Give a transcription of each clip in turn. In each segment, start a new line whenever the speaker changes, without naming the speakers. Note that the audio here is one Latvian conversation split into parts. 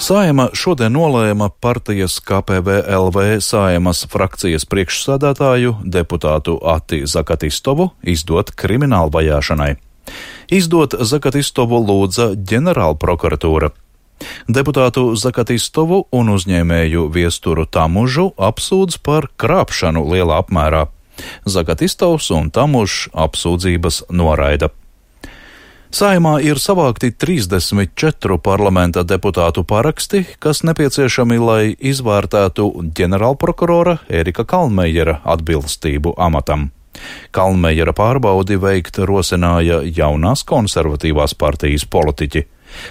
Saeima šodien nolēma partijas KPVLV Saeimas frakcijas priekšsēdētāju deputātu Ati Zakatistovu izdot kriminālu vajāšanai. Izdot Zakatistovu lūdza ģenerālprokuratūra. Deputātu Zakatistovu un uzņēmēju Viesturu Tamužu apsūdz par krāpšanu lielā apmērā. Zakatistovs un Tamužs apsūdzības noraida. Saeimā ir savākti 34 parlamenta deputātu paraksti, kas nepieciešami, lai izvērtētu ģenerālprokurora Ērika Kalnmejera atbilstību amatam. Kalnmejera pārbaudi veikt rosināja jaunās konservatīvās partijas politiķi.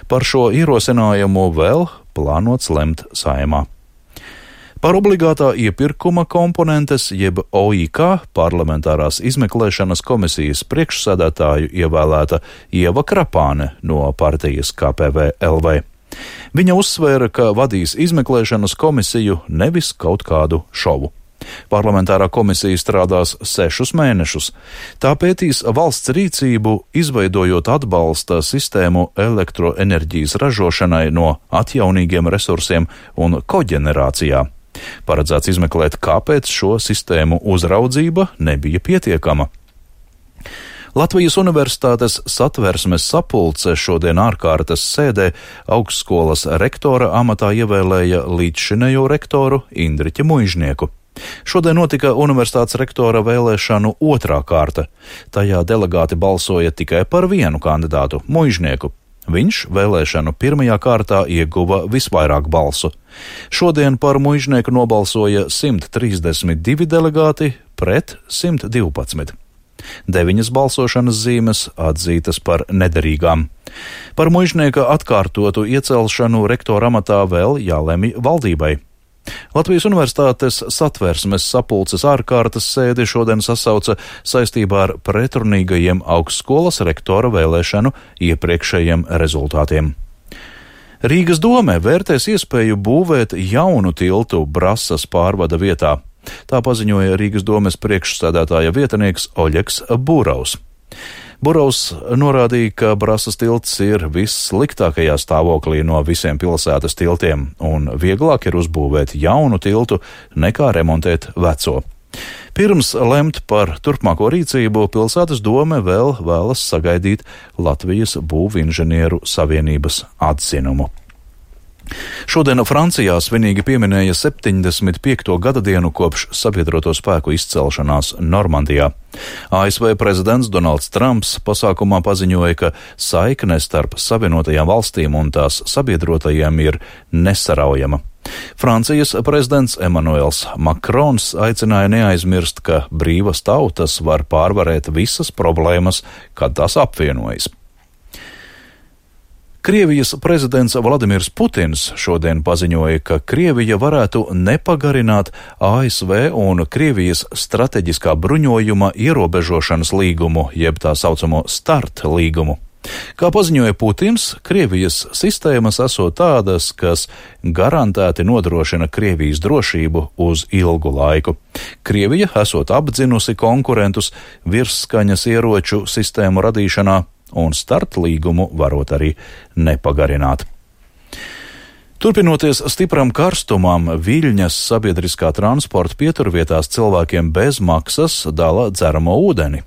Par šo ierosinājumu vēl plānots lemt Saeimā. Par obligātā iepirkuma komponentes jeb OIK parlamentārās izmeklēšanas komisijas priekšsēdētāju ievēlēta Ieva Krapāne no partijas KPVLV. Viņa uzsvēra, ka vadīs izmeklēšanas komisiju, nevis kaut kādu šovu. Parlamentārā komisija strādās 6 mēnešus. Tā pētīs valsts rīcību, izveidojot atbalsta sistēmu elektroenerģijas ražošanai no atjaunīgiem resursiem un koģenerācijā. Paredzēts izmeklēt, kāpēc šo sistēmu uzraudzība nebija pietiekama. Latvijas Universitātes Satversmes sapulce šodien ārkārtas sēdē augstskolas rektora amatā ievēlēja līdzšinējo rektoru Indriķi Muižnieku. Šodien notika universitātes rektora vēlēšanu otrā kārta. Tajā delegāti balsoja tikai par vienu kandidātu – Muižnieku. Viņš vēlēšanu pirmajā kārtā ieguva visvairāk balsu. Šodien par Muižnieku nobalsoja 132 delegāti pret 112. 9 balsošanas zīmes atzītas par nederīgām. Par Muižnieka atkārtotu iecelšanu rektora amatā vēl jālemj valdībai. Latvijas Universitātes Satversmes sapulces ārkārtas sēdi šodien sasauca saistībā ar pretrunīgajiem augstskolas rektora vēlēšanu iepriekšējiem rezultātiem. Rīgas dome vērtēs iespēju būvēt jaunu tiltu Brasas pārvada vietā. Tā paziņoja Rīgas domes priekšsēdētāja vietnieks Oļegs Burovs. Burovs norādīja, ka Brasas tilts ir vissliktākajā stāvoklī no visiem pilsētas tiltiem, un vieglāk ir uzbūvēt jaunu tiltu nekā remontēt veco. Pirms lemt par turpmāko rīcību, pilsētas dome vēl vēlas sagaidīt Latvijas būvinženieru savienības atzinumu. Šodien Francijā svinīgi pieminēja 75. gadadienu kopš sabiedroto spēku izcelšanās Normandijā. ASV prezidents Donalds Trumps pasākumā paziņoja, ka saikne starp Savienotajām valstīm un tās sabiedrotajiem ir nesaraujama. Francijas prezidents Emmanuels Macrons aicināja neaizmirst, ka brīvas tautas var pārvarēt visas problēmas, kad tās apvienojas. Krievijas prezidents Vladimirs Putins šodien paziņoja, ka Krievija varētu nepagarināt ASV un Krievijas strateģiskā bruņojuma ierobežošanas līgumu, jeb tā saucamo START līgumu. Kā paziņoja Putins, Krievijas sistēmas esot tādas, kas garantēti nodrošina Krievijas drošību uz ilgu laiku. Krievija esot apdzinusi konkurentus virsskaņas ieroču sistēmu radīšanā, un START līgumu varot arī nepagarināt. Turpinoties stipram karstumam, Viļņas sabiedriskā transporta pieturvietās cilvēkiem bez maksas dala dzeramo ūdeni.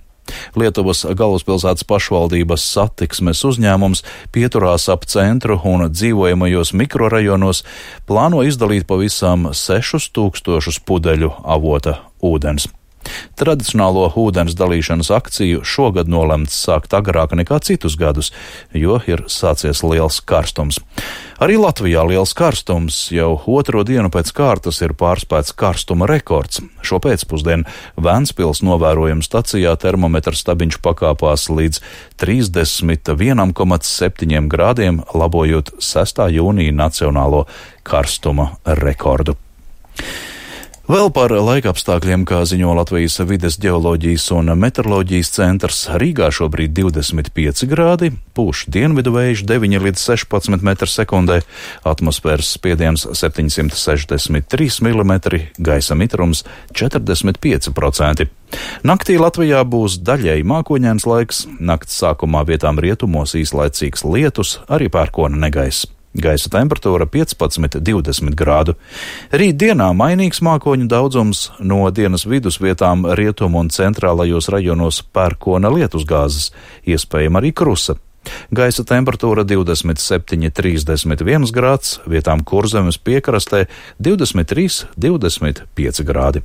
Lietuvas galvaspilsētas pašvaldības satiksmes uzņēmums pieturās ap centru un dzīvojamajos mikrorajonos plāno izdalīt pavisam 6000 pudeļu avota ūdens. Tradicionālo ūdens dalīšanas akciju šogad nolemts sākt agrāk nekā citus gadus, jo ir sācies liels karstums. Arī Latvijā liels karstums, jau otro dienu pēc kārtas ir pārspēts karstuma rekords. Šo pēcpusdienu Ventspils novērojuma stacijā termometra stabiņš pakāpās līdz 31,7 grādiem, labojot 6. jūnija nacionālo karstuma rekordu. Vēl par laikapstākļiem, kā ziņo Latvijas vides ģeoloģijas un meteoroloģijas centrs, Rīgā šobrīd 25 grādi, pūš dienvidu vējš 9 līdz 16 m/sekundē, atmosfēras spiediens 763 mm, gaisa mitrums 45%. Naktī Latvijā būs daļēji mākoņains laiks, nakts sākumā vietām rietumos īslaicīgs lietus, arī pērkona negaiss. Gaisa temperatūra 15–20 grādu. Rīt dienā mainīgs mākoņu daudzums, no dienas vidus vietām rietumu un centrālajos rajonos pērkona lietusgāzes, iespējama arī krusa. Gaisa temperatūra 27–31 grāds, vietām Kurzemes piekrastē 23–25 grādi.